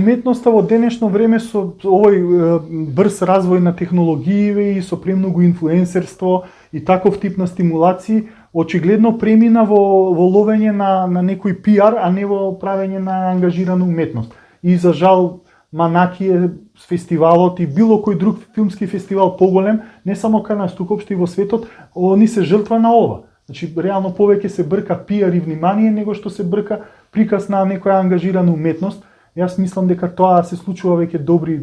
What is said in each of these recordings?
уметноста во денешно време со овој брз развој на технологиите и со премногу инфлуенсерство и таков тип на стимулации, очигледно премина во ловење на некој пиар, а не во правење на ангажирана уметност. И за жал Манаки е фестивалот и било кој друг филмски фестивал поголем, не само кај нас, туку општо и во светот, они се жртва на ова. Значи, реално повеќе се брка пиар и внимание, него што се брка приказ на некоја ангажирана уметност. Јас мислам дека тоа се случува веќе добри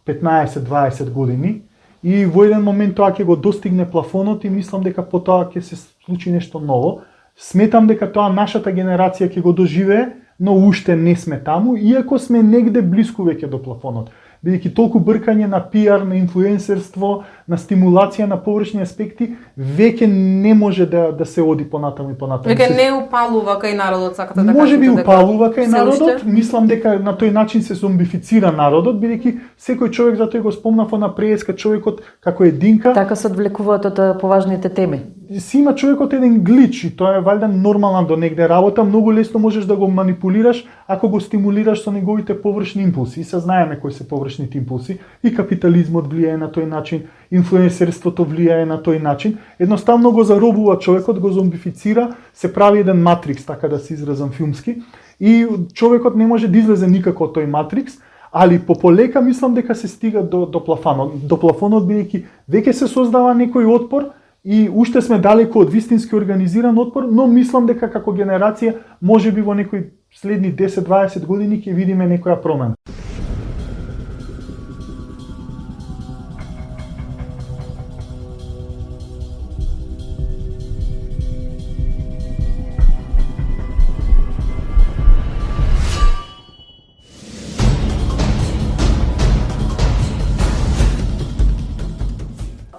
15-20 години и во еден момент тоа ќе го достигне плафонот и мислам дека потоа ќе се случи нешто ново. Сметам дека тоа нашата генерација ќе го доживее, но уште не сме таму, иако сме негде блиску веќе до плафонот. Бидејќи толку бркање на пиар, на инфлуенсерство, на стимулација на површни аспекти, веќе не може да се оди понатаму и понатаму. Веќе не упалува кај народот, сакате да кажете? Може би упалува кај народот, мислам дека на тој начин се зомбифицира народот, бидејќи секој човек, затоа го спомнав на преска, човекот како единка. Така се одвлекуваат од поважните теми. Си има човекот еден глич и тоа е валјда нормална до негде работа, многу лесно можеш да го манипулираш ако го стимулираш со неговите површни импулси. И се знаеме кои се површните импулси, и капитализмот влијае на тој начин, инфлуенсерството влијае на тој начин. Едноставно го заробува човекот, го зомбифицира, се прави еден матрикс, така да се изразам филмски, и човекот не може да излезе никако од тој матрикс, али полека мислам дека се стига до плафонот. До плафонот бидејќи веќе се создава некој отпор, и уште сме далеку од вистински организиран отпор, но мислам дека како генерација можеби во некои следни 10-20 години ќе видиме некоја промена.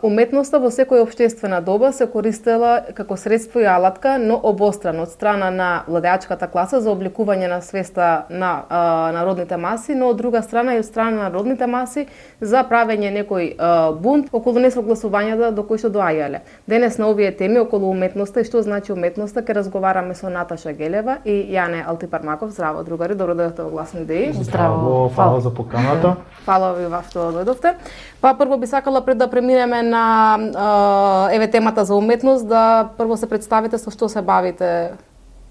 Уметноста во секоја општествена доба се користела како средство и алатка, но обострано од страна на владеачката класа за обликување на свеста на народните маси, но од друга страна и од страна на народните маси за правење некој бунт околу несогласувањата до кои што доаѓале. Денес на овие теми околу уметноста и што значи уметноста ќе разговараме со Наташа Гелева и Јане Алтипармаков. Здраво, другари, добро дојдовте во Гласни идеи. Здраво, фала за поканата. Фала ви што дојдовте. Па прво би сакала пред да преминеме на темата за уметност, да прво се представите со што се бавите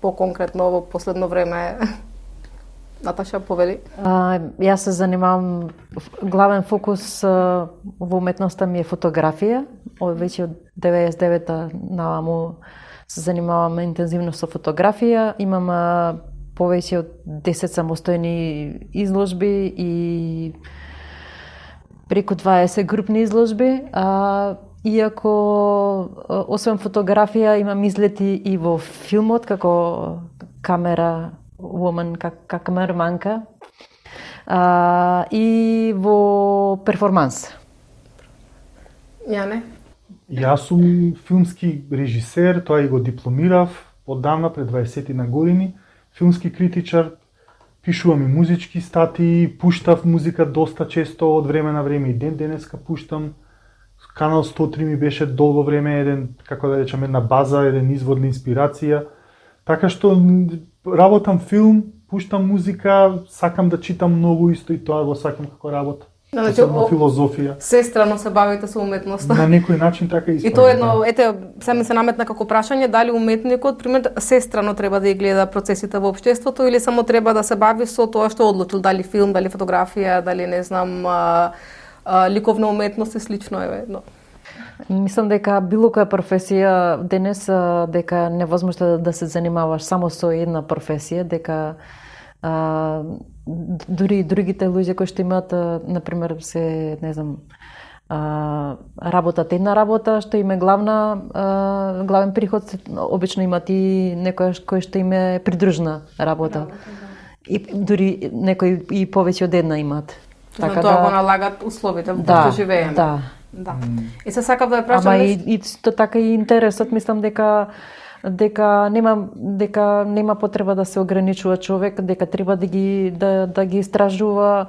по-конкретно во последно време. Наташа, повели. Јас се занимавам, главен фокус во уметноста ми е фотографија. Веќе од 99-та наваму се занимавам интензивно со фотографија. Имам повеќе од 10 самостојни изложби и преку 20 групни изложби, иако освен фотографија имам излети и во филмот како камера woman, како камераманка, и во перформанс. Јане? Јас сум филмски режисер, тоа и го дипломирав оддавна пред 20 на години, филмски критичар. Пишувам и музички статии, пуштав музика доста често од време на време и денеска пуштам. Канал 103 ми беше долго време еден, како да речам, една база, еден извор на инспирација. Така што работам филм, пуштам музика, сакам да читам многу исто и тоа го сакам како работа. Значи, филозофија. Сестрано се бавите со уметноста. На некој начин така и тоа едно, се ми се наметна како прашање, дали уметникот, пример, сестрано треба да ги гледа процесите во општеството или само треба да се бави со тоа што одлучил, дали филм, дали фотографија, дали не знам, ликовна уметност и слично е едно. Мислам дека било која професија денес дека невозможно да се занимаваш само со една професија, дека дури другите луѓе кои што имаат, например, се, не знам, работат една работа, што им е главен приход, обично имаат и некој кој што им е придружна работа. И дури некои и повеќе од една имаат. Така тоа го налагат условите во кои што живееме. Да. И се сакав да ја прашам. Ама и така и интересот, мислам дека нема потреба да се ограничува човек, дека треба да ги истражува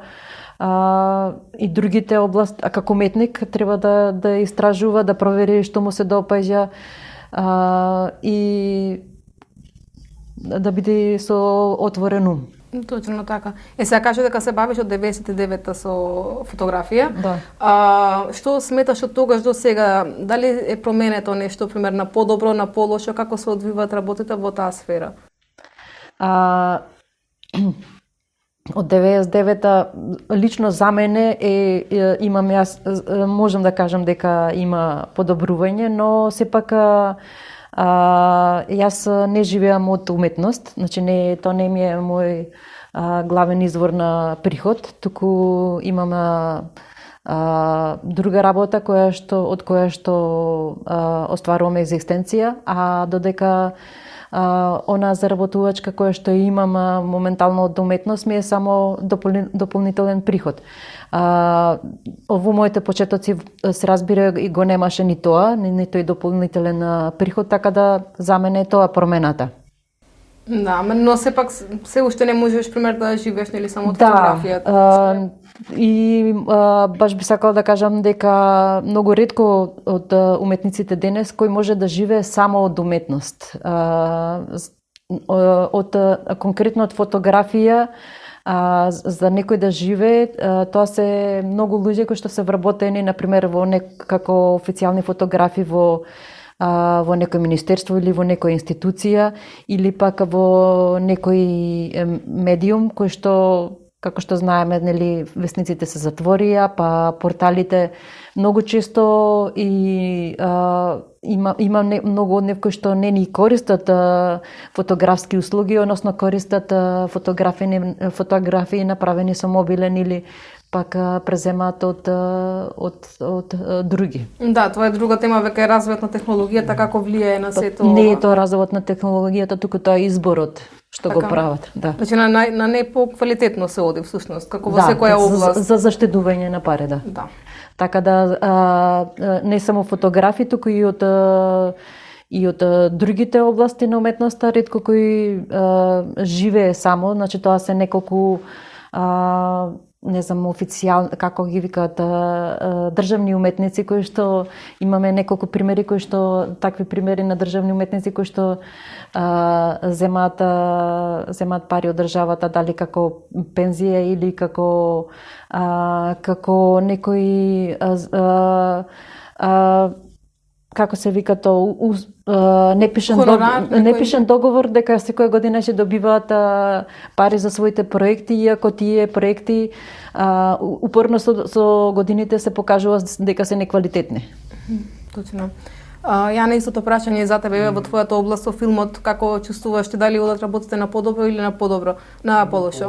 и другите области, а како уметник треба да истражува, да провери што му се допаѓа и да биде со отворен ум. Точно така. Сега кажа дека се бавиш од 99-та со фотографија. Да. Што сметаш од тогаш до сега? Дали е променето нешто, пример, на подобро, на полошо, како се одвиваат работите во таа сфера? Од 99-та лично за мене имам јас можам да кажам дека има подобрување, но сепак јас не живеам од уметност, значи тоа не ми е мој главен извор на приход, туку имам друга работа од која што остварувам екзистенција, а додека она заработувачка која што имам моментално од уметност ми е само дополнителен приход. Во моите почетоци се разбира и го немаше ни тоа, ни тој дополнителен приход, така да за мене е тоа промената. Да, но сепак се уште не можеш пример да живееш нели само од фотографијата. Да. И баш би сакала да кажам дека многу ретко од уметниците денес кој може да живее само од уметност. Од конкретно од фотографија за некој да живее, тоа се многу луѓе кои што се вработени на пример како официјални фотографи во некој министерство или во некоја институција или пак во некој медиум кој што, како што знаеме, нели, весниците се затворија, па порталите многу често и има многу од нив кои што не ни користат фотографски услуги, односно користат фотографии направени со мобилен или пак преземаат од други. Да, тоа е друга тема, веќе е развојот на технологијата, како влијае на сето. Не е тоа развојот на технологијата, туку тоа е изборот што така го прават. Да. Значи на не по-квалитетно се оди всушност, како во секоја област. За заштедување на пари, да. Да. Така да не само фотографи, туку и од другите области на уметноста, ретко кој живее само, значи тоа се неколку не знам, како ги викаат, државни уметници кои што имаме неколку примери кои што такви примери на државни уметници кои што земаат пари од државата, дали како пензија или како некој како се вика тоа, непишен договор дека секоја година ќе добиваат пари за своите проекти, иако тие проекти упорно со годините се покажува дека се неквалитетни. Точно. Јана, истото прашање за тебе во твојата област со филмот, како чувствуваш, дали одат работите на подобро или на полошо?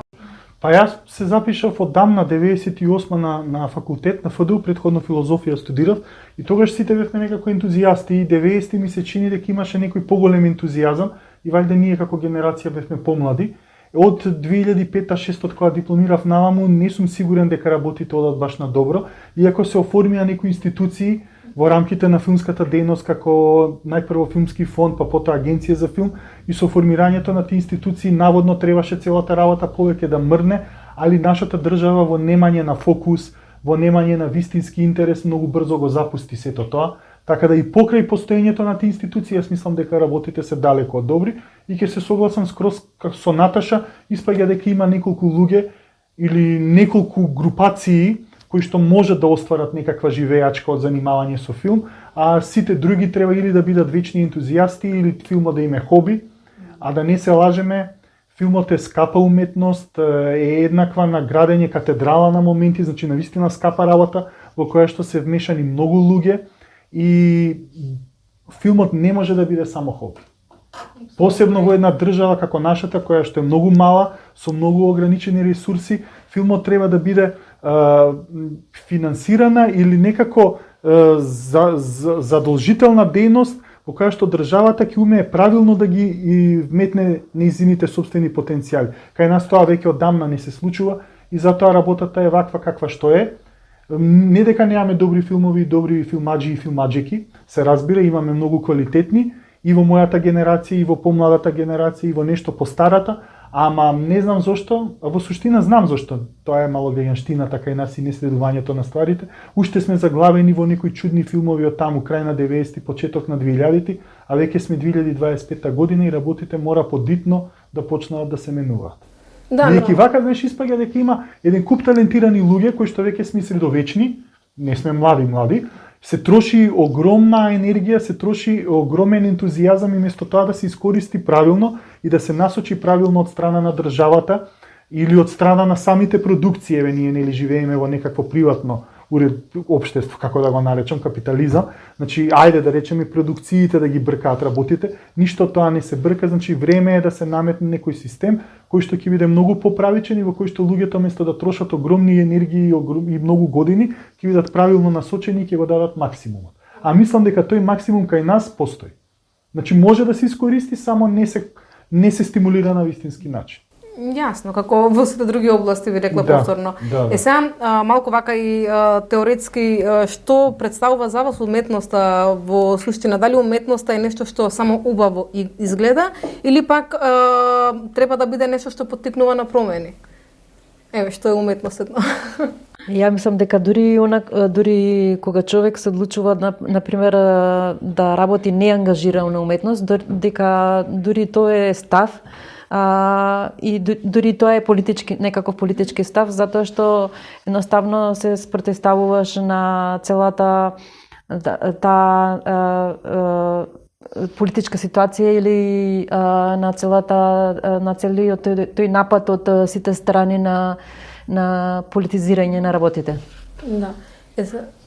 Па јас се запишав одамна 98 на факултет на ФДУ, предходно филозофија студирав и тогаш сите бевме некако ентузијасти и 90 ми се чини дека имаше некој поголем ентузијазам и вајде ние како генерација бевме помлади. Од 2005-2006 кога дипломирав наваму не сум сигурен дека работите одат баш на добро, иако се оформија некои институции во рамките на филмската дејност како најпрво филмски фонд, па потоа агенција за филм и со формирањето на тие институции наводно требаше целата работа повеќе да мрне, али нашата држава во немање на фокус, во немање на вистински интерес многу брзо го запусти сето тоа, така да и покрај постоењето на тие институции јас мислам дека работите се далеко од добри и ќе се согласам скроз со Наташа, испаѓа дека има неколку луѓе или неколку групации кои што можат да остварат некаква живеачка од занимавање со филм, а сите други треба или да бидат вечни ентузијасти или филмот да им е хоби, а да не се лажеме, филмот е скапа уметност, е еднаква на градење катедрала на моменти, значи навистина скапа работа во која што се вмешани многу луѓе и филмот не може да биде само хоби. Посебно во една држава како нашата, која што е многу мала, со многу ограничени ресурси, филмот треба да биде финансирана или некако задолжителна дејност во која што државата ќе умее правилно да ги вметне нејзините сопствени потенцијали. Кај нас тоа веќе одамна не се случува и затоа работата е ваква каква што е. Не дека немаме добри филмови, добри филмаджи и филмаджики, се разбира, имаме многу квалитетни и во мојата генерација, и во помладата генерација, и во нешто постарата, ама не знам зошто, а во суштина знам зошто. Тоа е мало веганштината кај нас и неследувањето на стварите. Уште сме заглавени во некои чудни филмови од таму, крај на 90-ти, почеток на 2000-ти, а веќе сме 2025 година и работите мора подитно да почнат да се менуваат. Бидејќи вака знаеш испаѓа дека има еден куп талентирани луѓе кои што веќе сме средовечни, не сме млади, се троши огромна енергија, се троши огромен ентузијазам и место тоа да се искористи правилно и да се насочи правилно од страна на државата или од страна на самите продукции, еве ние нели живееме во некакво приватно општество, како да го наречам, капитализам. Значи, ајде да речеме продукциите да ги бркаат работите, ништо тоа не се брка, значи време е да се наметне некој систем кој што ќе биде многу поправичен и во кој што луѓето место да трошат огромни енергии и многу години, ќе бидат правилно насочени и ќе го дадат максимумот. А мислам дека тој максимум кај нас постои. Значи може да се искористи, само не се стимулира на вистински начин. Јасно, како во сите други области ви рекла повторно. Да. Сега малку вака и теоретски што представува за вас уметноста во суштина? Дали уметноста е нешто што само убаво изгледа или пак треба да биде нешто што поттикнува на промени? Еве што е уметноста? Ја мислам дека дури кога човек се одлучува на пример да работи неангажирано на уметност, дека дури тоа е став. И дури тоа е некаков политички став, затоа што едноставно се спротивставуваш на целата политичка ситуација или на целиот тој напад од сите страни на политизирање на работите. Да.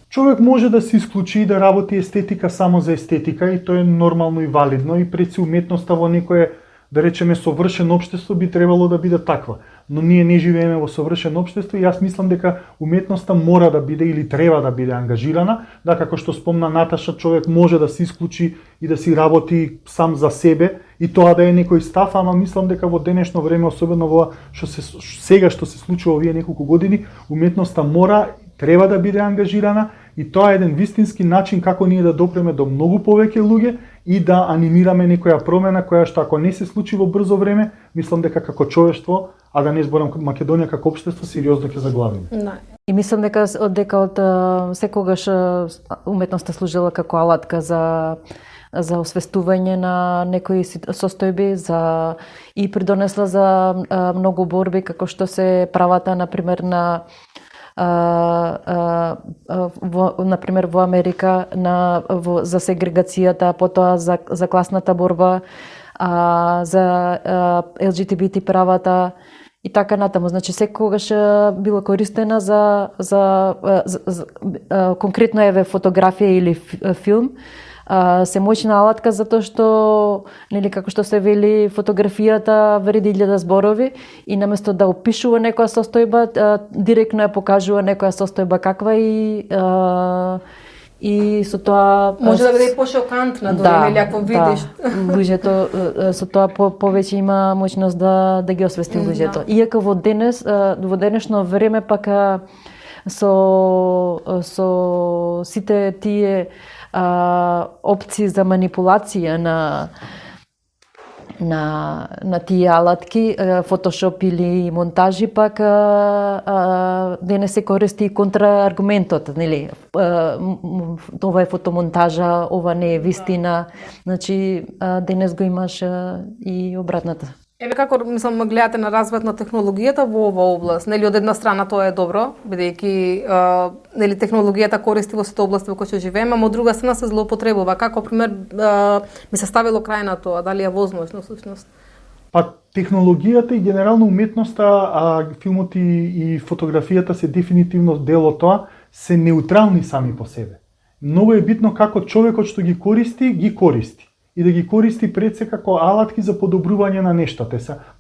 Човек може да се исклучи и да работи естетика само за естетика и тоа е нормално и валидно и пред си уметноста во некое, да речеме, совршено општество би требало да биде таква. Но ние не живееме во совршено општество и јас мислам дека уметноста мора да биде или треба да биде ангажирана, да како што спомна Наташа, човек може да се исклучи и да си работи сам за себе и тоа да е некој став, ама мислам дека во денешно време, особено во сега што се случува овие неколку години, уметноста треба да биде ангажирана и тоа е еден вистински начин како ние да допреме до многу повеќе луѓе и да анимираме некоја промена која што ако не се случи во брзо време, мислам дека како човештво, а да не зборам Македонија како општество, сериозно ќе заглавиме. И мислам дека од секогаш уметноста служила како алатка за освестување на некои состојби, и придонесла за многу борби, како што се правата, например, например во Америка за сегрегацијата, потоа за класната борба, за ЛГБТ правата и така натаму. Значи секогаш била користена за конкретно еве фотографија или филм, се моćна алатка затоа што, нели, како што се вели, фотографијата вреди 1000 зборови и наместо да опишува некоја состојба, директно ја покажува некоја состојба каква и со тоа може да биде пошокантна, нели, ако видиш. Луѓето со тоа повеќе има моќност да ги освести луѓето. Иако во денешно време пак со сите тие опции за манипулација на тие алатки, фотошоп или монтажи, пак денес се користи и контрааргументот, нели? Ова е фотомонтажа, ова не е вистина. Значи денес го имаш и обратната. Еве како мислам гледате на развојот на технологијата во оваа област? Нели од една страна тоа е добро, бидејќи нели технологијата користи во сите области во кои што живееме, а од друга страна се злоупотребува. Како пример ми се ставило крај на тоа, дали е возможно всушност? Па технологијата и генерално уметноста, филмот и фотографијата се дефинитивно дел од тоа, се неутрални сами по себе. Многу е битно како човекот што ги користи и да ги користи пред се како алатки за подобрување на нешто.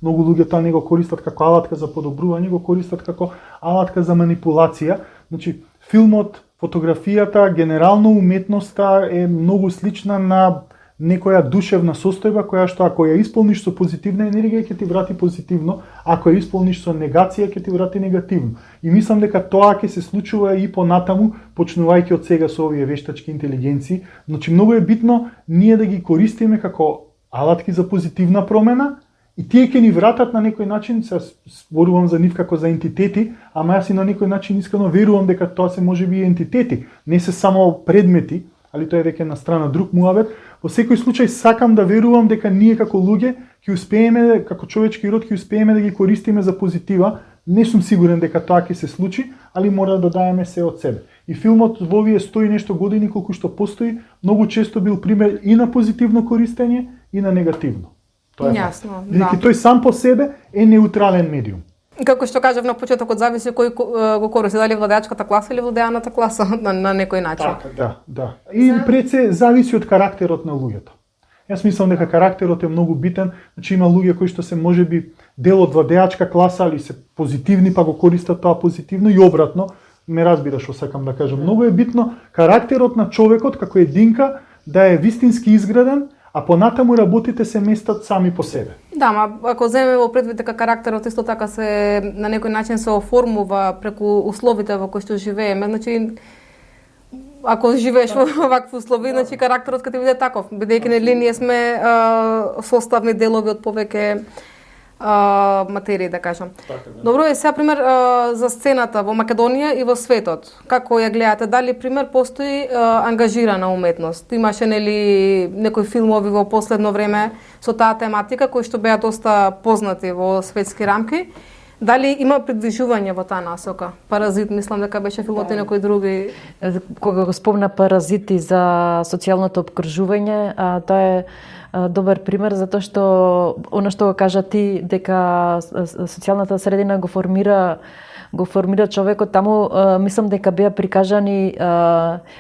Многу луѓе тоа не го користат како алатка за подобрување, го користат како алатка за манипулација. Значи, филмот, фотографијата, генерално уметноста е многу слична на некоја душевна состојба која што ако ја исполниш со позитивна енергија ќе ти врати позитивно, ако ја исполниш со негација ќе ти врати негативно. И мислам дека тоа ќе се случува и понатаму, почнувајќи од сега со овие вештачки интелигенции. Значи многу е битно ние да ги користиме како алатки за позитивна промена и тие ќе ни вратат на некој начин, се зборувам за нив како за ентитети, ама јас и на некој начин искрено верувам дека тоа се можеби и ентитети, не се само предмети, али тоа е веќе на страна друг муабет. Во секој случај сакам да верувам дека ние како луѓе ќе успееме, како човечки род ќе успееме да ги користиме за позитива. Не сум сигурен дека тоа ќе се случи, али мора да даеме се од себе. И филмот во овие 100 и нешто години колку што постои, многу често бил пример и на позитивно користење и на негативно. Тоа е јасно, да. Тој сам по себе е неутрален медиум. Како што кажав на почетокот, зависи кој го користи, дали владеачката класа или владеаната класа на некој начин. Така, да. И пред се зависи од карактерот на луѓето. Јас мислам дека карактерот е многу битен, значи има луѓе кои што се можеби дел од владеачка класа, али се позитивни, па го користат тоа позитивно и обратно. Ме разбираш што сакам да кажам. Многу е битно карактерот на човекот како единка да е вистински изграден, а понатаму работите се местат сами по себе. Да, ма ако земеме во предвид дека карактерот исто така се на некој начин се оформува преку условите во кои што живееме, значи ако живееш во вакви услови, значи карактерот ќе ти биде таков, бидејќи нели ние сме составни делови од повеќе материи, да кажам. Добро, е сега пример за сцената во Македонија и во светот. Како ја гледате? Дали пример постои ангажирана уметност? Имаше нели некои филмови во последно време со таа тематика кои што беа доста познати во светски рамки? Дали има придвижување во таа насока? Паразит, мислам дека беше филмот и некои други. Кога го спомна Паразити за социјалното опкружување, тоа е добар пример затоа што она што го кажа ти дека социјалната средина го формира човекот, таму мислам дека беа прикажани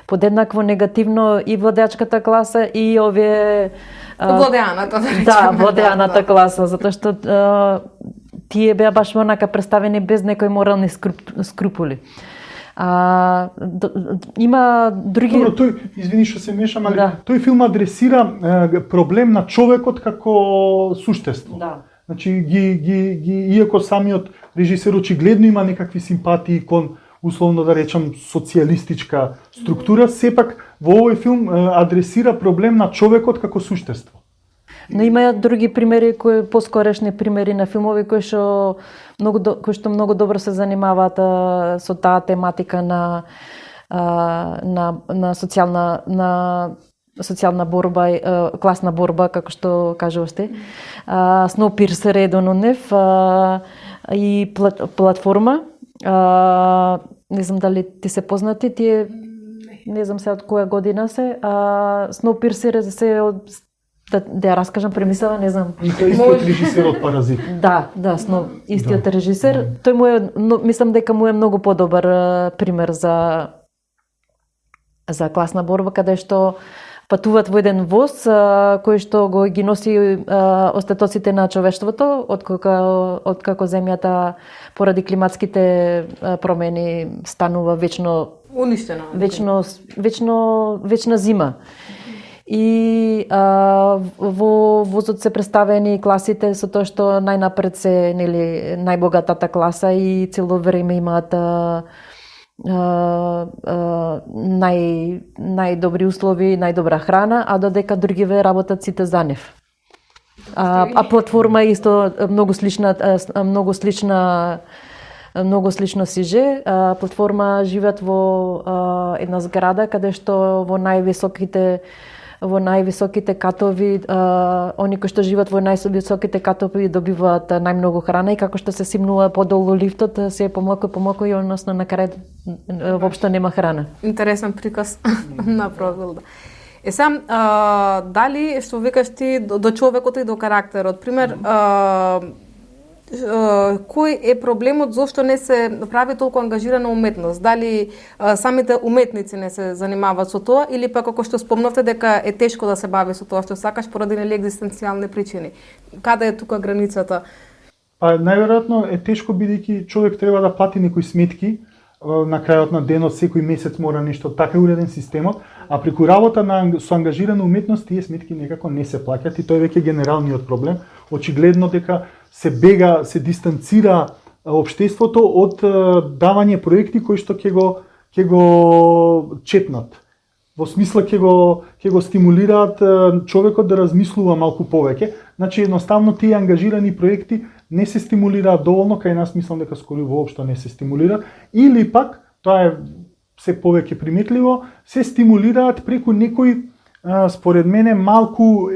подеднакво негативно и владеачката класа и овие владеаната, да, владеаната класа, затоа што тие беа баш онака представени без некои морални скрупули. Има други... Добро, тој, извини што се мешам, али тој филм адресира проблем на човекот како суштество. Да. Значи, иако самиот режисер очигледно има некакви симпатии кон, условно да речам, социјалистичка структура, сепак во овој филм адресира проблем на човекот како суштество. Но има други примери, поскорешни примери на филмови кои што многу добро се занимаваат со таа тематика на социјална борба, класна борба, како што кажуваш ти. Snowpiercer е еден од нив и платформа. Не знам дали ти се познати, тие не знам се од која година се. Snowpiercer се од да ја раскажам премисла, не знам. И тој истиот режисер од Паразит. Да, истиот режисер. Тој му е, мислам дека му е многу подобар пример за класна борба, каде што патуваат во еден воз кој што го ги носи остатоците на човештвото откако земјата поради климатските промени станува вечно уништена. Вечна зима. И во возот се представени класите со тоа што најнапред се нели најбогатата класа и цело време имаат најдобри услови, најдобра храна, а додека другиве работат сите за нив. Платформа е исто многу слично сиже. Платформа живеат во една зграда каде што во највисоките катови, они кои што живеат во највисоките катови добиваат најмногу храна и како што се симнува подолу лифтот, се помалку и односно на крај воопшто нема храна. Интересен приказ на профил. Сам, дали што викаш ти до човекот и до карактерот, пример, кој е проблемот зошто не се прави толку ангажирана уметност? Дали самите уметници не се занимаваат со тоа или пак како што спомнавте дека е тешко да се бави со тоа што сакаш поради нели екзистенцијални причини? Каде е тука границата? Најверојатно е тешко бидејќи човек треба да плати некои сметки, на крајот на денот секој месец мора нешто, така е уреден системот, а преку работа со ангажирана уметност тие сметки некако не се плаќаат и тоа е веќе генералниот проблем. Очигледно дека се дистанцира општеството од давање проекти кои што ќе го четнат. Во смисла ќе го стимулираат човекот да размислува малку повеќе. Значи едноставно тие ангажирани проекти не се стимулираат доволно, кај нас мислам дека скоро воопшто не се стимулира, или пак тоа е се повеќе приметливо, се стимулираат преку некои, според мене, малку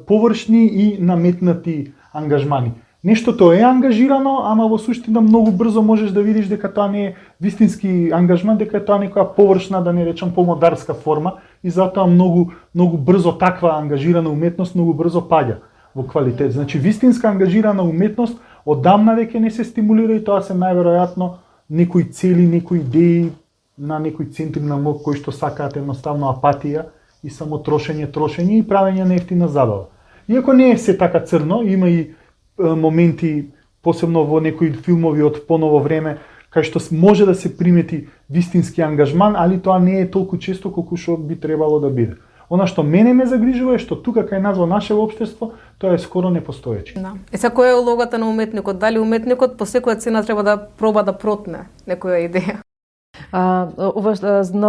површни и наметнати ангажмани. Нештото е ангажирано, ама во суштина многу брзо можеш да видиш дека тоа не е вистински ангажман, дека е тоа некоја површна, да не речам помодарска форма, и затоа многу брзо таква ангажирана уметност многу брзо паѓа во квалитет. Значи вистинска ангажирана уметност одамна веќе не се стимулира и тоа се најверојатно некои цели, некои идеи на некои центри на мозок кои што сакаат едноставно апатија и само трошење и правење на ефтина забава. Иако не е се така црно, има и моменти, посебно во некои филмови од поново време, кај што може да се примети вистински ангажман, али тоа не е толку често колку што би требало да биде. Она што мене ме загрижува е што тука кај нас во наше општество тоа е скоро непостоече. Да. И сега која е улогата на уметникот? Дали уметникот по секоја цена треба да проба да протне некоја идеја?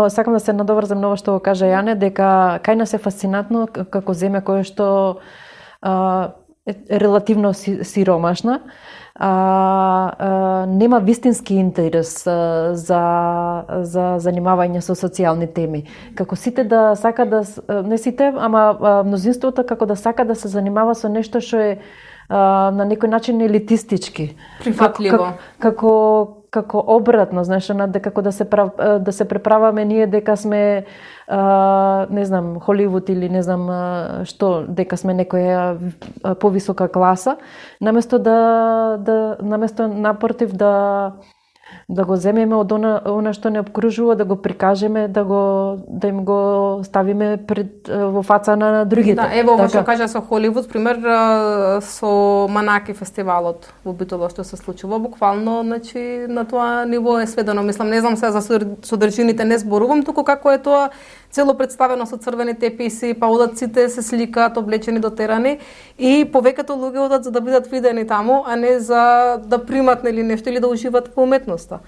Сакам да се надоврзам на ова што го кажа Јане, дека кај нас е фасцинатно како земја која што е релативно сиромашна, нема вистински интерес за занимавање со социјални теми. Како сите да сака да, не сите, ама мнозинството како да сака да се занимава со нешто што е на некој начин елитистички. Прифатливо. Како обратно, знаеш, како да се преправаме ние дека сме не знам, Холивуд или не знам што, дека сме некоја повисока класа, наместо наместо напротив да го земеме од она што не обкружува, да го прикажеме, да им го ставиме пред во фаца на другите. Да, ево ова што кажа со Холивуд, пример со Манаки фестивалот во Битола што се случува, буквално, значи на тоа ниво е сведено. Мислам, не знам се за содржините не зборувам, туку како е тоа цело представено со црвени теписи, па одат сите се сликаат облечени дотерани и повеќето луѓе одат за да бидат видени таму, а не за да примат нели нешто или да уживат во уметноста.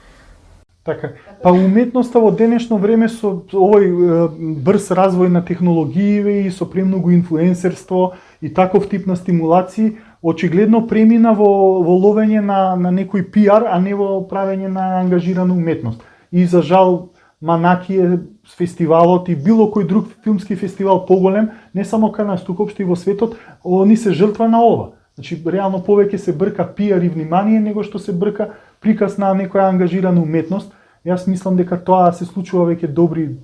Така. Па уметноста во денешно време со овој брз развој на технологиите и со премногу инфлуенсерство и таков тип на стимулации очигледно премина во ловење на некој пиар, а не во правење на ангажирана уметност. И за жал Манаки е фестивалот и било кој друг филмски фестивал поголем, не само кај нас, туку општо и во светот, они се жртва на ова. Значи, реално повеќе се брка пиар и внимание, него што се брка приказ на некоја ангажирана уметност. Јас мислам дека тоа се случува веќе добри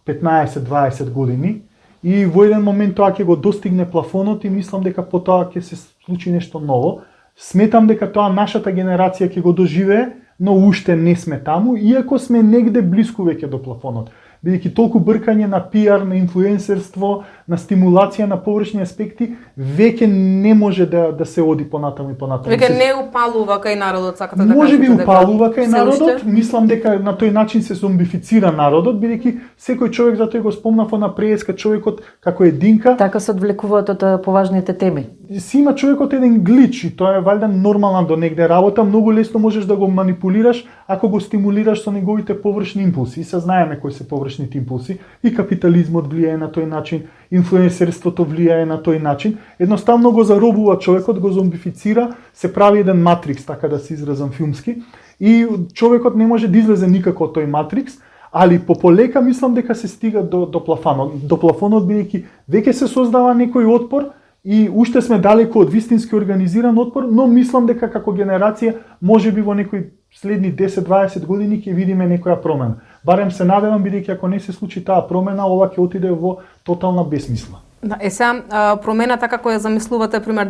15-20 години и во еден момент тоа ќе го достигне плафонот и мислам дека потоа ќе се случи нешто ново. Сметам дека тоа нашата генерација ќе го доживее, но уште не сме таму, иако сме негде блиску веќе до плафонот. Бидејќи толку бркање на пиар, на инфлуенсерство, на стимулација на површни аспекти, веќе не може да се оди понатаму и понатаму. Веќе не упалува кај народот, сакате да кажете? Може би упалува кај народот, мислам дека на тој начин се зомбифицира народот, бидејќи секој човек, затоа го спомнав на преска, човекот како единка. Така се одвлекуваат од поважните теми. Си има човекот еден глич и тоа е валјда нормална до негде работа, многу лесно можеш да го манипулираш ако го стимулираш со неговите површни импулси. И се знаеме кои се површните импулси и капитализмот влијае на тој начин, инфлуенсерството влијае на тој начин. Едноставно го заробува човекот, го зомбифицира, се прави еден матрикс, така да се изразам филмски, и човекот не може да излезе никако од тој матрикс, али полека мислам дека се стига до плафонот. До плафонот бидејќи веќе се создава некој отпор и уште сме далеко од вистински организиран отпор, но мислам дека како генерација можеби во некои следни 10-20 години ќе видиме некоја промена. Барем се надевам, бидејќи ако не се случи таа промена, ова ќе отиде во тотална бесмисла. Да, сега промената како ја замислувате, пример,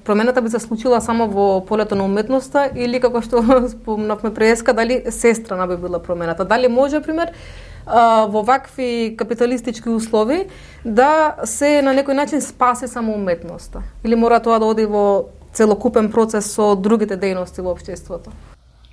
промената би се случила само во полето на уметноста или како што спомнавме преска, дали сестрана би била промената? Дали може, пример, во вакви капиталистички услови да се на некој начин спаси само уметноста? Или мора тоа да оди во целокупен процес со другите дејности во општеството?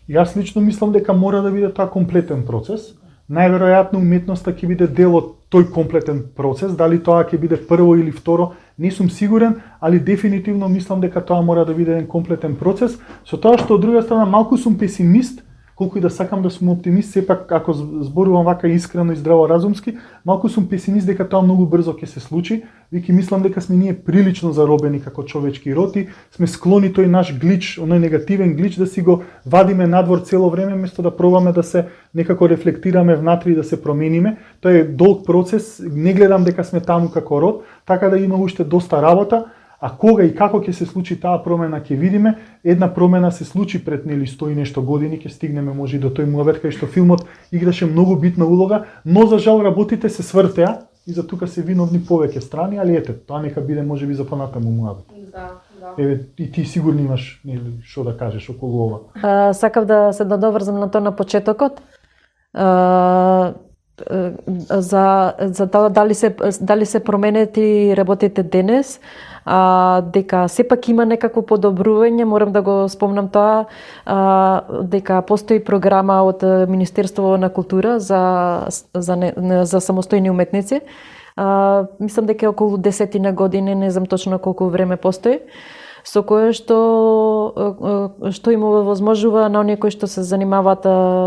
Јас лично мислам дека мора да биде тоа комплетен процес. Најверојатно уметноста ќе биде дел од тој комплетен процес, дали тоа ќе биде прво или второ, не сум сигурен, али дефинитивно мислам дека тоа мора да биде еден комплетен процес, со тоа што од друга страна малку сум песимист колку и да сакам да сум оптимист, сепак ако зборувам вака искрено и здраворазумски, малку сум песимист дека тоа многу брзо ќе се случи. Веќе мислам дека сме ние прилично заробени како човечки роти, сме склони тој наш глич, оној негативен глич да си го вадиме надвор цело време, место да пробаме да се некако рефлектираме внатре и да се промениме. Тоа е долг процес, не гледам дека сме таму како род, така да има уште доста работа. А кога и како ќе се случи таа промена ќе видиме. Една промена се случи пред 100 и нешто години, ќе стигнеме може и до тој муавет кај што филмот играше многу битна улога, но за жал работите се свртеа и за тука се виновни повеќе страни, али ете, тоа нека биде можеби за понатаму муавет. Да. Еве и ти сигурно имаш што да кажеш околу ова. Сакав да се додоврзам на тоа на почетокот. За тоа дали се променети работите денес, дека сепак има некакво подобрување, морам да го спомнам тоа, дека постои програма од Министерство на култура за самостојни уметници. Мислам дека е околу 10 години, не знам точно колку време постои, со кое што им овозможува на оние кои што се занимаваат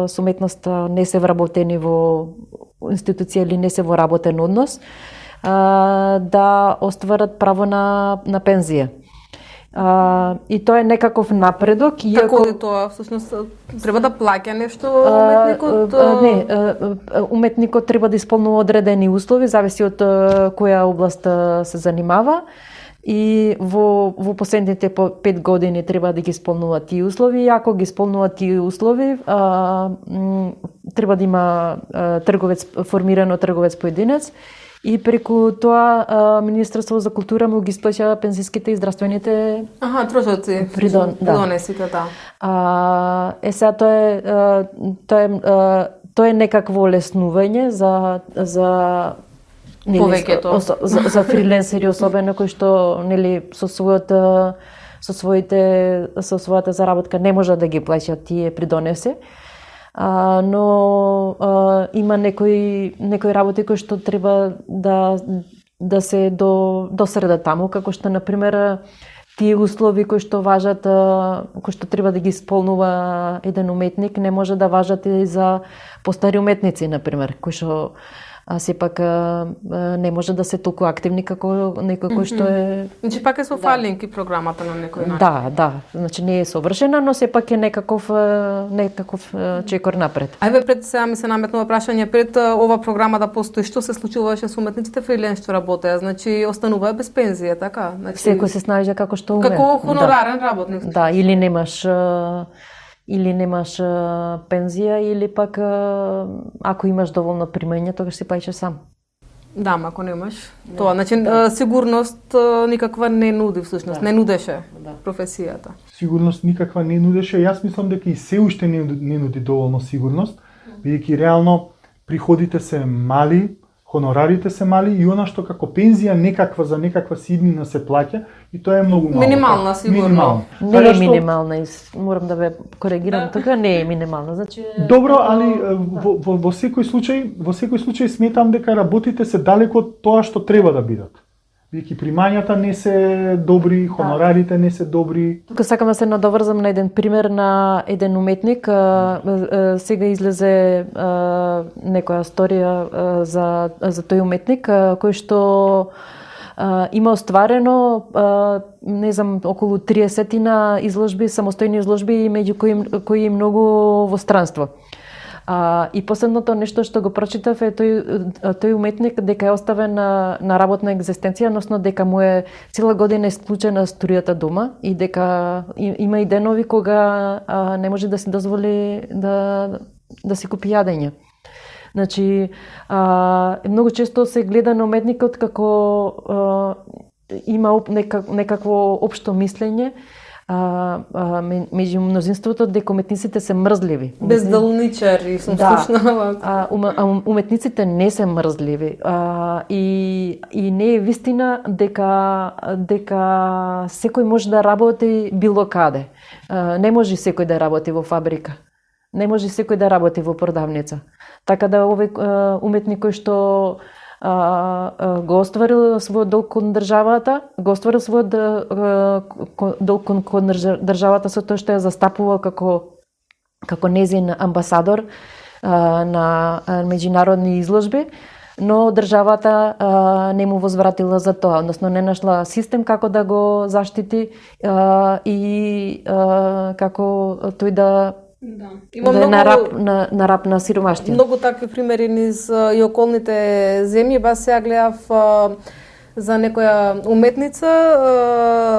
со уметност, не се вработени во институција или не се во работен однос, да остварат право на пензија. И тоа е некаков напредок. Како е тоа? Всушност треба да плаќа нешто уметникот? Не, уметникот треба да исполнува одредени услови, зависи од која област се занимава. И во последните 5 години треба да ги исполнува тие услови. И ако ги исполнува тие услови, треба да има формирано трговец поединец. И преку тоа Министерство за култура му ги исплаќа пензиските и здравствените трошоци, придонесите, да. Сега тоа е некакво олеснување за повеќето, за фриленсери особено кои што со својата заработка не можат да ги плаќаат тие придонеси. Но има некои работи кои што треба да се досредат таму, како што например тие услови кои што важат, кои што треба да ги исполнува еден уметник, не може да важат и за постари уметници, например, кои што сепак не може да се толку активни како некој кој што е... Значи пак е со фалинг и програмата на некој начин. Да, значи не е совршена, но сепак е некаков чекор напред. Ајде пред сега ми се наметнува прашање, пред ова програма да постои, што се случуваше со уметниците фриленс што работеа? Значи остануваа без пензија, така? Значи, секој се снајде како што уме. Како хонорарен работник. Да, или немаш пензија, или пак ако имаш доволно примање, тогаш си плаќаш сам. Да, ако немаш тоа, значи сигурност никаква не нуди всушност, не нудеше професијата. Сигурност никаква не нудеше. Јас мислам дека и се уште не нуди доволно сигурност, бидејќи реално приходите се мали, хонорарите се мали и она што како пензија некаква за некаква сиднина се плаќа и тоа е многу мало. Минимална сигурно. Не е минимална, морам да ве коригирам, така не е минимална, значи добро, али во секој случај сметам дека работите се далеку од тоа што треба да бидат. Бидејќи примањата не се добри, хонорарите не се добри. Тука сакам да се надоврзам на еден пример на еден уметник. Сега излезе некоја сторија за тој уметник кој што има остварено не знам околу 30 изложби, самостојни изложби, меѓу кои многу во странство. И последното нешто што го прочитав е тој уметник дека е оставен на работна екзистенција, односно дека му е цела година исклучена струјата дома и дека има и денови кога не може да си дозволи да си купи јадење. Значи, многу често се гледа на уметникот како има некакво општо мислење меѓу мнозинството дека уметниците се мрзливи. Безделничари сум слушнала. Уметниците не се мрзливи. И не е вистина дека секој може да работи било каде. Не може секој да работи во фабрика. Не може секој да работи во продавница. Така да овој уметник кој што го остварил својот долг кон државата, со тоа што ја застапувал како како незин амбасадор на меѓународни изложби, но државата не му возвратила за тоа, односно не нашла систем како да го заштити и како тој да Има на рап на сиромаштија. Многу такви примери низ и околните земји. Бас сега гледав за некоја уметница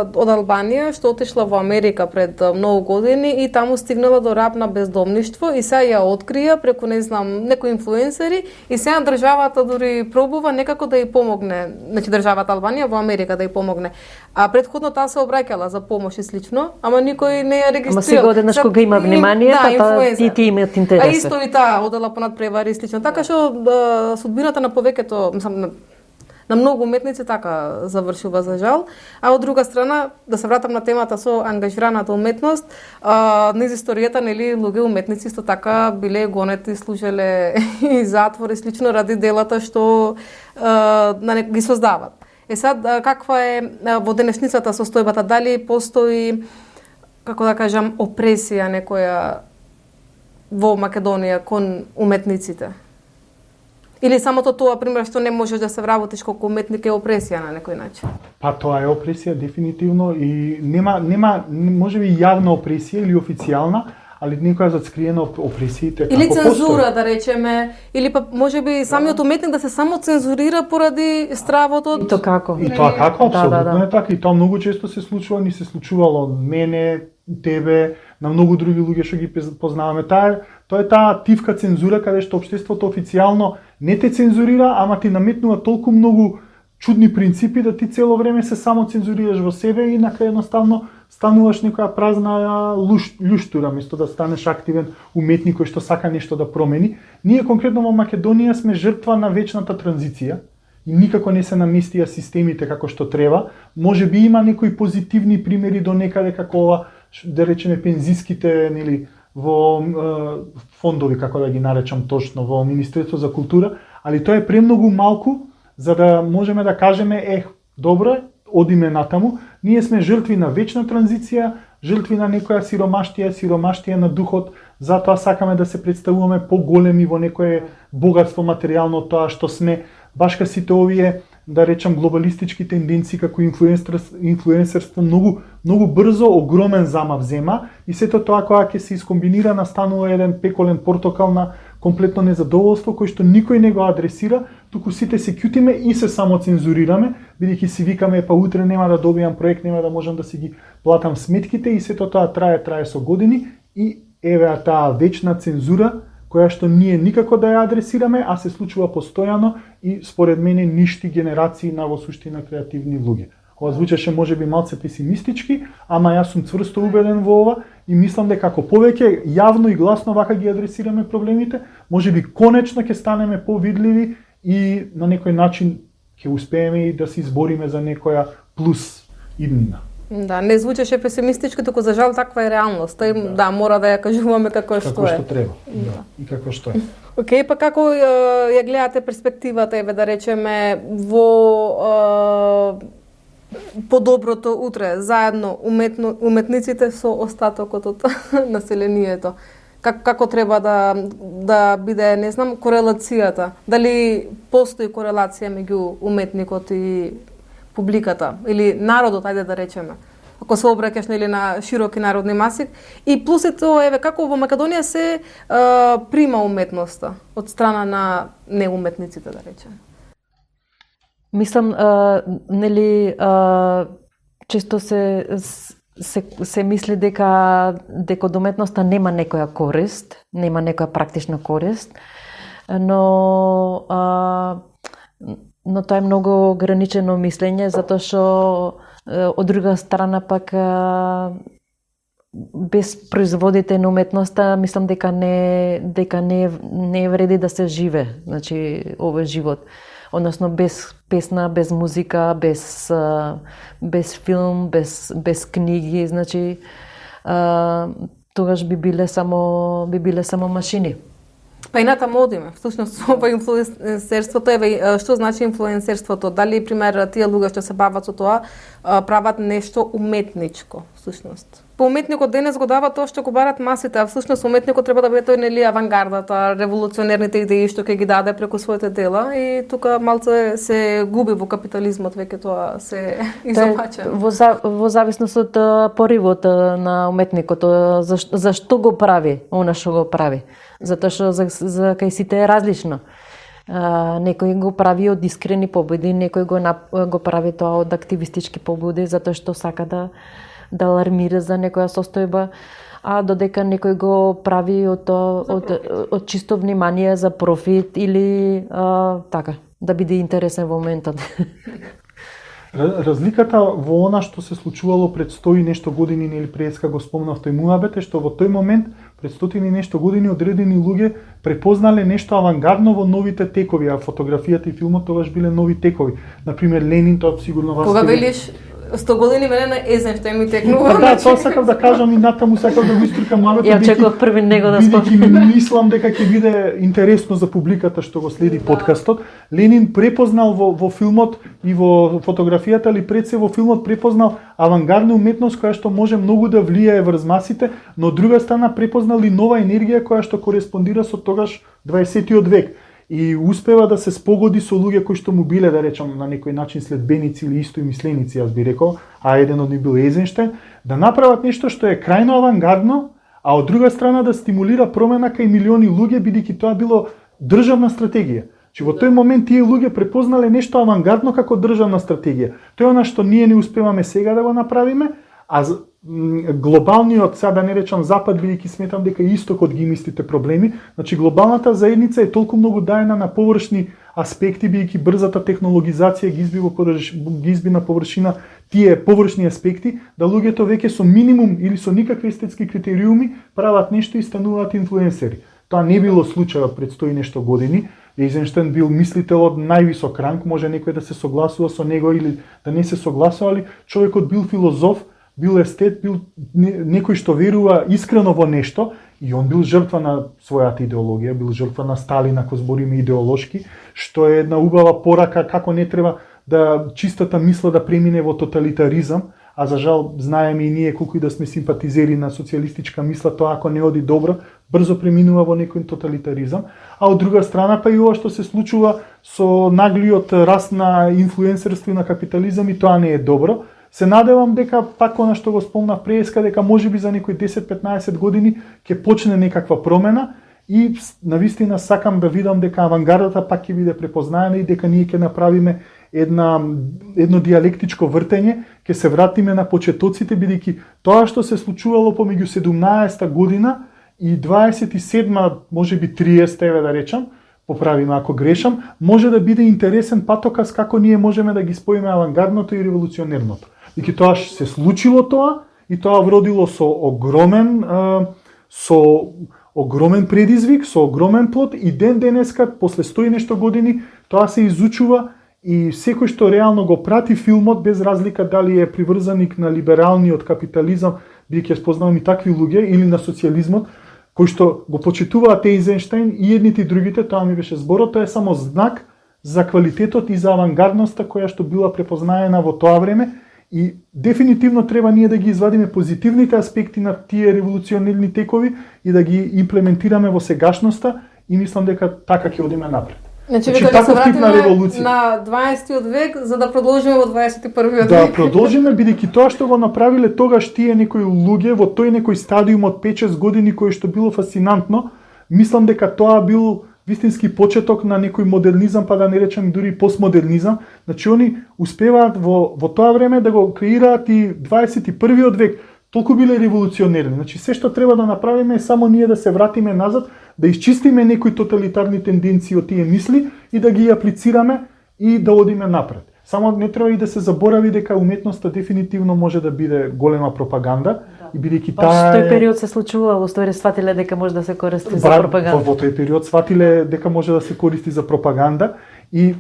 од Албанија што отишла во Америка пред многу години и таму стигнала до рап на бездомништво и сега ја открија преку некои инфлуенсери и сега државата дури пробува некако да ја помогне, значи државата Албанија во Америка да ја помогне. А претходно таа се обраќала за помош и слично, ама никој не ја регистрира. Ама сега одеднаш кога има внимание, ти имаат интерес. А исто и таа одела понад превари и слично. Така што судбината на повеќето, на многу уметници така завршува за жал. А од друга страна, да се вратам на темата со ангажираната уметност, низ историјата, нели, луѓе уметници исто така биле гонети, служеле и затвор и слично ради делата што ги создават. Сад, каква е во денешницата состојбата? Дали постои, како да кажам, опресија некоја во Македонија кон уметниците? Или самото тоа, пример, што не можеш да се вработиш колку уметник е опресија на некој начин? Па тоа е опресија, дефинитивно, и нема можеби јавна опресија или официјална, али некоја зацкриена опресиите. Или цензура, да речеме, или па можеби самиот уметник да се само цензурира поради стравот од... И тоа како? И тоа како, апсолутно е така, и тоа многу често се случува, ни се случувало мене, тебе, на многу други луѓе што ги познаваме. Тоа е таа тивка цензура каде што општеството официјално не те цензурира, ама ти наметнува толку многу чудни принципи да ти цело време се само цензурираш во себе и накрај едноставно стануваш некоја празна љуштура, место да станеш активен уметник кој што сака нешто да промени. Ние конкретно во Македонија сме жртва на вечната транзиција и никако не се наместија системите како што треба. Може би има некои позитивни примери до некаде како ова, да речеме пензиските, нели, во фондови, како да ги наречам точно, во Министерство за култура, али тоа е премногу малку за да можеме да кажеме добро, одиме натаму. Ние сме жртви на вечна транзиција, жртви на некоја сиромаштија на духот, затоа сакаме да се представуваме поголеми во некое богатство материјално од тоа што сме, башка сите овие, да речам, глобалистички тенденции како инфлуенсерство многу брзо огромен замав зема и сето тоа кога ќе се искомбинира настанува еден пеколен портокал на комплетно незадоволство кој што никој не го адресира, туку сите се кјутиме и се само цензурираме, бидејќи си викаме па утре нема да добијам проект, нема да можам да си ги платам сметките и сето тоа трае со години и еве таа вечна цензура која што ние никако да ја адресираме, а се случува постојано и според мене ништи генерации на во суштина креативни луѓе. Ова звучеше можеби малце песимистички, ама јас сум цврсто убеден во ова и мислам дека како повеќе јавно и гласно вака ги адресираме проблемите, можеби конечно ќе станеме повидливи и на некој начин ќе успееме и да се избориме за некоја плюс иднина. Да, не звучеше песимистички, туку за жал таква е реалноста и да, мора да ја кажуваме како што е. Како што треба, да, и како што е. Океј, па како ја гледате перспективата, еве да речеме, во подоброто утре, заедно уметниците со остатокот од населението? Како треба да биде, не знам, корелацијата? Дали постои корелација меѓу уметникот и публиката или народот, ајде да речеме, ако се обраќаш нели на широки народни маси, и плюс е тоа, еве, како во Македонија се прима уметноста од страна на неуметниците, да речеме. Мислам, нели, често се мисли дека од уметноста нема некоја корист, нема некоја практична корист, но тоа е многу ограничено мислење, затоа што од друга страна пак без производите на уметноста мислам дека не вреди да се живе, значи овој живот. Односно без песна, без музика, без филм, без книги, значи тогаш би биле само машини. Па и натаму одиме. Всушност, ова инфлуенсерството, еве, што значи инфлуенсерството? Дали, пример, тие луѓе што се бават со тоа, прават нешто уметничко, всушност? уметникот денес го дава тоа што го барат масите, а всушност уметникот треба да биде тој нели авангардата, револуционерните идеи што ќе ги даде преку своите дела и тука малце се губи во капитализмот, веќе тоа се изопача. Во зависност од поривот на уметникот, зашто го прави, она што го прави. Затоа што за кај сите е различно. Некој го прави од искрени побуди, некој го прави тоа од активистички побуди, затоа што сака да алармира за некоја состојба, а додека некој го прави од чисто внимание за профит или така, да биде интересен во моментот. Разликата во она што се случувало пред 100 и нешто години, или преска го спомнав тој муабет, е што во тој момент, пред 100 и нешто години, одредени луѓе препознале нешто авангардно во новите текови, а фотографијата и филмот тогаш биле нови текови. Например, Ленин, тоа сигурно вас... Кога велиш 100 години мене на Езенштајн ми текнува. Да, тоа сакав да кажам и натаму сакав да го истрикам муабетот. Ја очекував први него да спомнам. Мислам дека ќе биде интересно за публиката што го следи подкастот. Ленин препознал во филмот и во фотографијата, или пред се во филмот препознал авангардна уметност која што може многу да влијае врз масите, но од друга страна препознал и нова енергија која што кореспондира со тогаш 20-тиот век. И успева да се спогоди со луѓе кои што му биле, да речам, на некој начин следбеници или истоимисленици, јас би рекол, а еден од нив бил Езенштајн, да направат нешто што е крајно авангардно, а од друга страна да стимулира промена кај милиони луѓе, бидејќи тоа било државна стратегија. Че во тој момент тие луѓе препознале нешто авангардно како државна стратегија. Тоа е она што ние не успеваме сега да го направиме, а глобалниот, сега да не речам запад, бидејќи сметам дека истокот ги има истите проблеми, значи глобалната заедница е толку многу даена на површни аспекти, бидејќи брзата технологизација ги изби на површина тие површни аспекти, да луѓето веќе со минимум или со никакви естетски критериуми прават нешто и стануваат инфлуенсери. Тоа не било случајот пред 100 и нешто години. Ейзенштајн бил мислител од највисок ранг, може некој да се согласува со него или да не се согласува, али човекот бил филозоф, бил естет, бил некој што верува искрено во нешто, и он бил жртва на својата идеологија, бил жртва на Сталин, ако збориме идеолошки, што е една убава порака како не треба да чистата мисла да премине во тоталитаризам, а за жал знаеме и ние колку и да сме симпатизери на социјалистичка мисла, тоа ако не оди добро, брзо преминува во некој тоталитаризам, а од друга страна па и ова што се случува со наглиот раст на инфлуенсерство и на капитализам, и тоа не е добро. Се надевам дека пак она што го спомнав преска, дека можеби за некои 10-15 години ќе почне некаква промена, и навистина сакам да видам дека авангардата пак ќе биде препознаена и дека ние ќе направиме едно диалектичко вртење, ќе се вратиме на почетоците, бидејќи тоа што се случувало помеѓу 17-та година и 27-ма, можеби 30-та, да речам, поправиме ако грешам, може да биде интересен патоказ како ние можеме да ги споиме авангардното и револуционерното. Бидејќи тоа се случило тоа, и тоа вродило со огромен предизвик, со огромен плод, и ден денеска, после 100 и нешто години, тоа се изучува, и секој што реално го прати филмот, без разлика дали е приврзаник на либералниот капитализам, бидејќи ја спознавам и такви луѓе, или на социјализмот, кои што го почитуваат Ейзенштајн и едните и другите, тоа ми беше зборот, тоа е само знак за квалитетот и за авангардноста која што била препознаена во тоа време, и дефинитивно треба ние да ги извадиме позитивните аспекти на тие револуционерни текови и да ги имплементираме во сегашноста, и мислам дека така ќе одиме напред. Значи века да се вратиме на 20-тиот век за да продолжиме во 21-виот век. Да, продолжиме, бидејќи тоа што го направиле тогаш тие некои луѓе во тој некој стадиум од 5-6 години кој што било фасцинантно, мислам дека тоа бил вистински почеток на некој модернизам, па да не речем дури постмодернизам. Значи они успеваат во тоа време да го креираат и 21-виот век. Толку биле револуционерни. Значи се што треба да направиме е само ние да се вратиме назад, да исчистиме некои тоталитарни тенденции од тие мисли и да ги аплицираме и да одиме напред. Само не треба и да се заборави дека уметноста дефинитивно може да биде голема пропаганда, и бидејќи таа тој период се случувало, ствари сватиле дека може да се користи за пропаганда. Во тој период сватиле дека може да се користи за пропаганда, и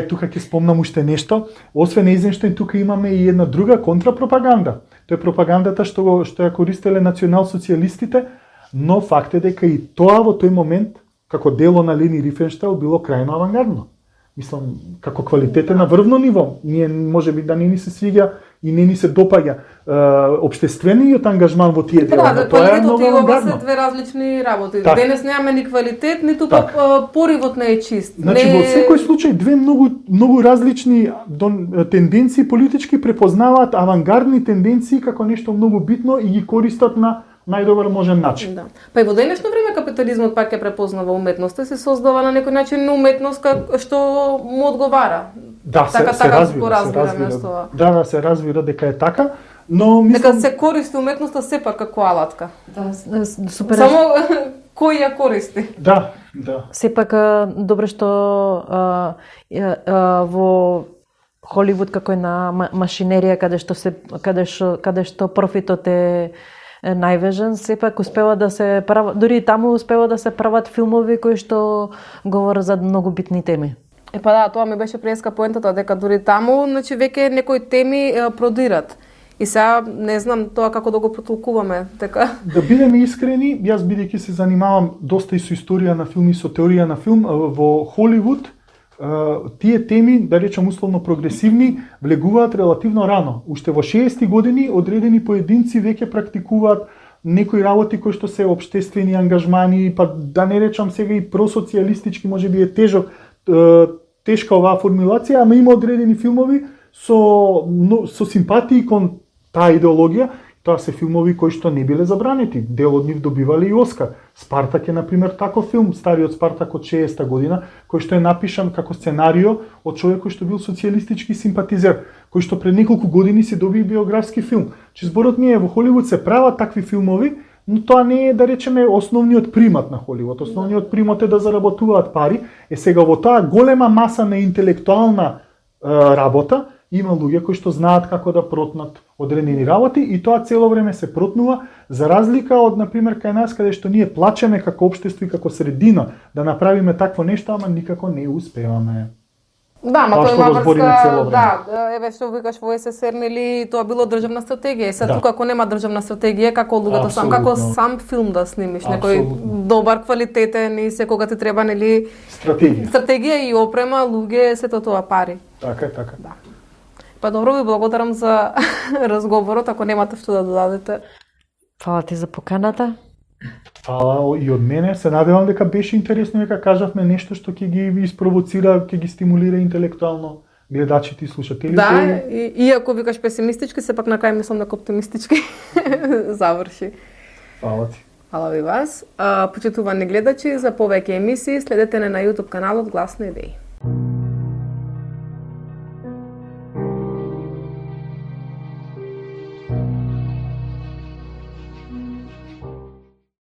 тука ќе спомнам уште нешто. Освен Ейзенштајн, тука имаме и една друга контрапропаганда. Тоа е пропагандата што ја користеле национал-социјалистите, но факт е дека и тоа во тој момент, како дело на Лени Рифенштайл, било крајно авангардно. Мислам, како квалитетен на врвно ниво. Ние можеби да не ни се свиѓа и не ни се допаѓа општествениот ангажман во тие дела. Да, квалитетот и ова се две различни работи. Так. Денес немаме ни квалитет, ниту пак поривот не е чист. Значи во секој случај две многу различни тенденции политички препознаваат авангардни тенденции како нешто многу битно и ги користат на најдобар можен начин. Да. Па и во денешно време капитализмот пак ја препознава уметноста, се создава на некој начин уметност што му одговара. Да, се развира. Да, се развира дека е така, но мислам дека се користи уметноста сепак како алатка. Да, супер. Само кој ја користи? Да. Сепак добро што во Холивуд како е на машинерија каде што профитот е најважен, сепак успева да се прават, дури и таму успева да се прават филмови кои што говорат за многу битни теми. Па да, тоа ми беше преска поентата, дека дури таму, значи веќе некои теми продират. И сега не знам тоа како да го протолкуваме, така. Да бидеме искрени, јас бидејќи се занимавам доста и со историја на филм и со теорија на филм, во Холивуд тие теми, да речем условно прогресивни, влегуваат релативно рано. Уште во 60-ти години одредени поединци веќе практикуваат некои работи кои што се општествени ангажмани, па да не речам сега и просоцијалистички, можеби е тешка оваа формулација, ама има одредени филмови со симпатии кон таа идеологија. Тоа се филмови кои што не биле забранети. Дел од нив добивале и Оскар. Спартак е, например, таков филм, стариот Спартак од 60-та година, кој што е напишан како сценарио од човек кој што бил социјалистички симпатизер, кој што пред неколку години се доби биографски филм. Че зборот ми е, во Холивуд се прават такви филмови, но тоа не е, да речеме, основниот примат на Холивуд. Основниот примат е да заработуваат пари. Сега во таа голема маса на интелектуална работа, има луѓе кои што знаат како да протнат одредени работи и тоа цело време се протнува, за разлика од, например, кај нас, каде што ние плачеме како општество и како средина да направиме такво нешто, ама никако не успеваме. Да, ма тоа има врска, да, еве што викаш во СССР, нели, тоа било државна стратегија. И сега тука ако нема државна стратегија, како луѓето сам филм да снимиш, некој добар, квалитетен и секога ти треба, нели, стратегија и опрема, луѓе, сето тоа пари. Така. Да. Па добро, ви благодарам за разговорот, ако немате што да додадете. Фала ти за поканата. Фала и од мене. Се надевам дека беше интересно, дека кажавме нешто што ќе ги испровоцира, ќе ги стимулира интелектуално гледачите и слушателите. Да, иако викаш песимистички, сепак на крај мислам дека оптимистички заврши. Фала ти. Фала ви вас. Почитувани гледачи, за повеќе емисии следете на YouTube каналот Глас на идеи.